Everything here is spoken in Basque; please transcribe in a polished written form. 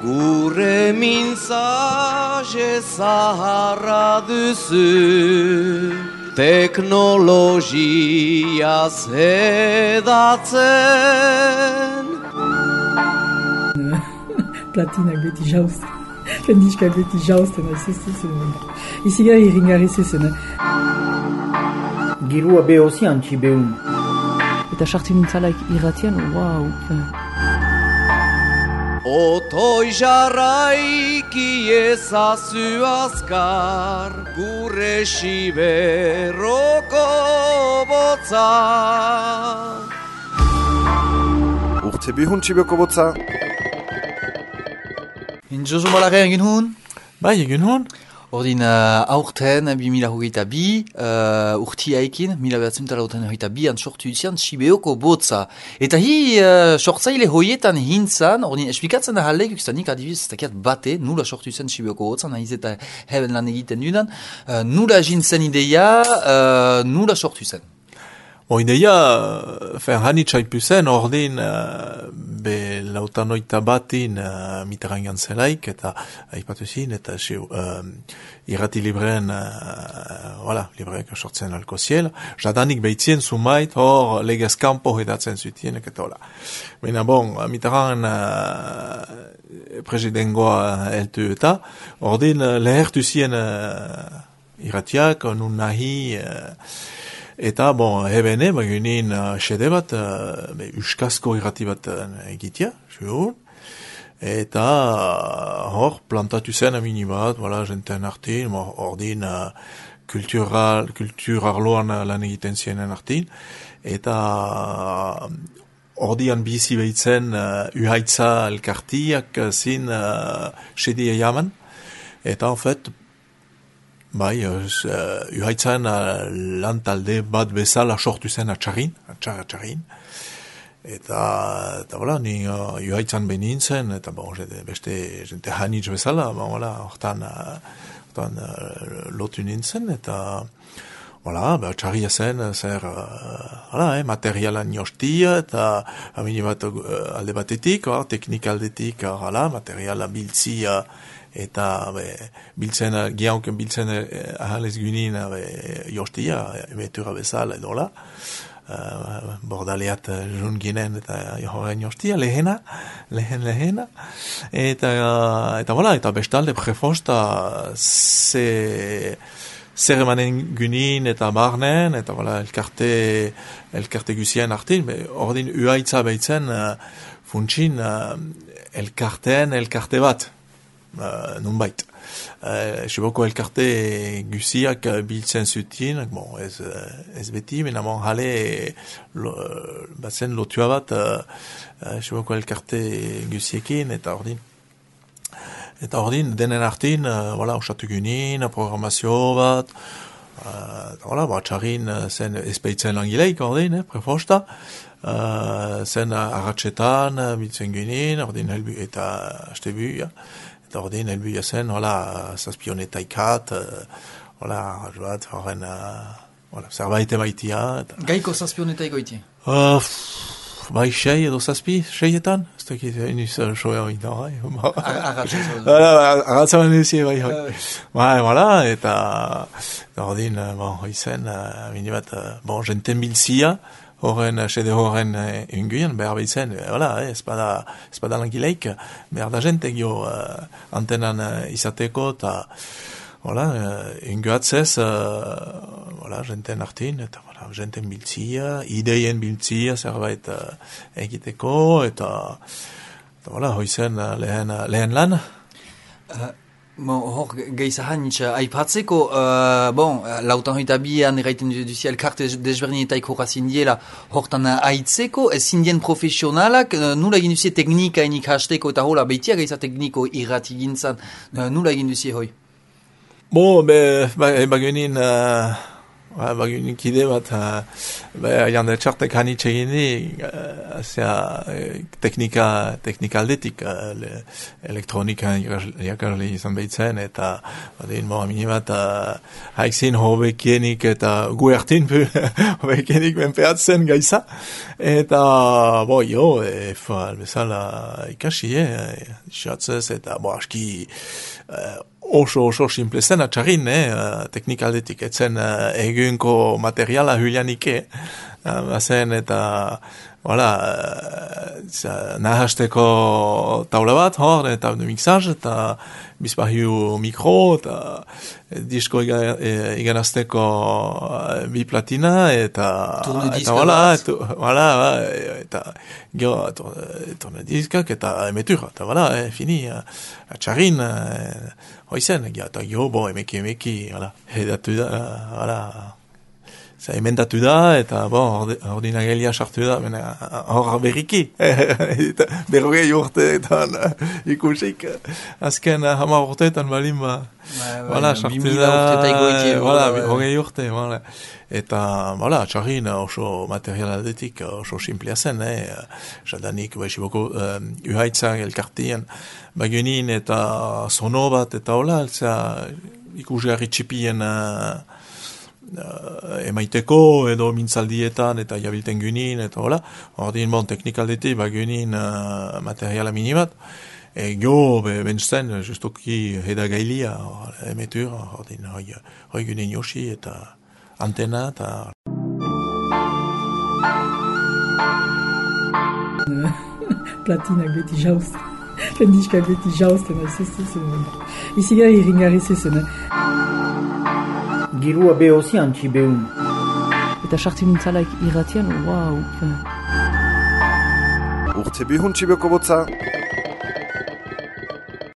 Gure mintzaje zaharra duzu, teknologia zedatzen. Platinak beti jauzten. Diskak beti jauzten, aizezen. Izigar irringarri zezen. Girua behozi antxi behun. Eta sartzen nintzalaik irratian, wow. Otoi jarraiki ezazu azkar, gure siberroko botza. Urte bihun txibeko botza. Josu Malare egin hon? Bai, egin hon. Ordin aurten 2022 urtiaikin, 1922 sortu izan Sibeoko botza. Eta hi sortzaile hoietan hintzan, ordin esplikatzen da halek, ikustanik adibiz, takiat bate, nula sortu izan Sibeoko botza, nahiz eta heben lan egiten dudan, nula jintzen ideia, nula sortu izan. Ideia, hanitxaipu zen, ordin be lautanoita batin Mitterrandan zelaik, eta aipatu zin, eta irrati libreen, libreek sortzen alko ziel, jadanik behitzien sumait, hor legez kampo edatzen zutienek, eta hola. Baina Mitterrand presidengoa eltu eta, ordin lehertu zien irratiak, nun nahi, eta, hebene, bagunin xede bat, uskazko irrati bat egitea, eta hor plantatu zen amini bat, jenten artin, ordin kultur arloan lan egiten zienen artin, eta ordian bizi behitzen uhaitza elkartiak zin xedi eiaman, eta en fait, uhaitzan lan talde bat bezala sortu zen atxarrin. Eta ni uhaitzan benintzen, eta beste jente hanitz bezala, hortan lotu nintzen, eta atxarria zen, zer, materialan jostia, eta amini bat alde batetik, teknik aldetik, materiala biltzia, eta giaunken biltzen ahalez gynin jostia, emetura bezala edola, bordaleat jun ginen eta horren jostia, lehena, eta bestalde prefosta zer emanen gynin eta barnen, eta elkarte guzien artin, ordin uhaitza behitzen funtsin elkarte bat, nunbait. Siboko elkarte guziak biltzen zutien, ez beti, menamon jale batzen lotua bat Siboko elkarte guziekin, eta ordin denen artin, osatu gynin, programazio bat, batxarin zen espeitzen langileik, ordin, prefosta, zen arratxetan biltzen gynin, ordin helbu eta astebu, ordin helbuia zen, zazpionetaikat, horren, zerbait emaitia. Gaiko zazpionetaiko iti? Bai, edo seietan? Ez dakit, iniz soea oita, Arratzaman duzie, bai. Eta ordin, hoizen, minibat, jenten bilzia, horren, sede horren unguien, behar behitzen, ez bada langileik, behar da jente gio antenan izateko, eta unguatzez, jenten artin, eta jenten biltzia, ideien biltzia, zerbait egiteko, eta hoizen lehen lan. Hor, gehizahanitz, aipatzeko, lautan hoita bian erraiten duzia elkarte desberdinetaik horazin diela, hortan aitzeko, zindien profesionalak, nula egin duzie teknika enik hasteko, eta hola, behitia gehiza tekniko irrati gintzan, nula egin duzie hoi? Bagenin, Baginik ide bat, jande txartek hanitxe gini, teknika aldetik, elektronika jakarli izan behitzen, eta badein moa minimat, haikzin hobekienik eta gu ertin hobekienik benpeatzen gaiza, eta bezala ikasi, xatzez, eta aski oso simple zen atxarrin, teknikaldetik, etzen egunko materiala hulianike, bazen eta nahasteko taula bat, eta mixaz, eta bizpahiu mikro, eta disko iganazteko bi platina, eta tornediskak, eta emetura, eta fini, atxarrin, hoizen, eta emeki, edatu da, emendatu da, eta ordinagelia sartu da, hor berriki, berrogei urteetan ikusik, azken 10 urteetan balin sartu da, berrogei urte, eta txarrin oso material aldetik oso simplea zen, jadanik baixiboko uhaitzak elkartien bagenin eta sono bat eta hola, ikusgarri txipien emaiteko edo mintzaldietan eta jabilten gynin eta hola, ordin teknikaldetik bagenin materiala minimat, bentzen justoki hedagailia emetur, ordin hoi gynin yoshi eta antena eta platinak beti jauzten. Kendiskak beti jauzten aizezuzen. Izigar irringarri zezen. Girua behozi antxi behun. Eta sartzen nintzalaik irratian, wow. Urte bihun txibeko botza.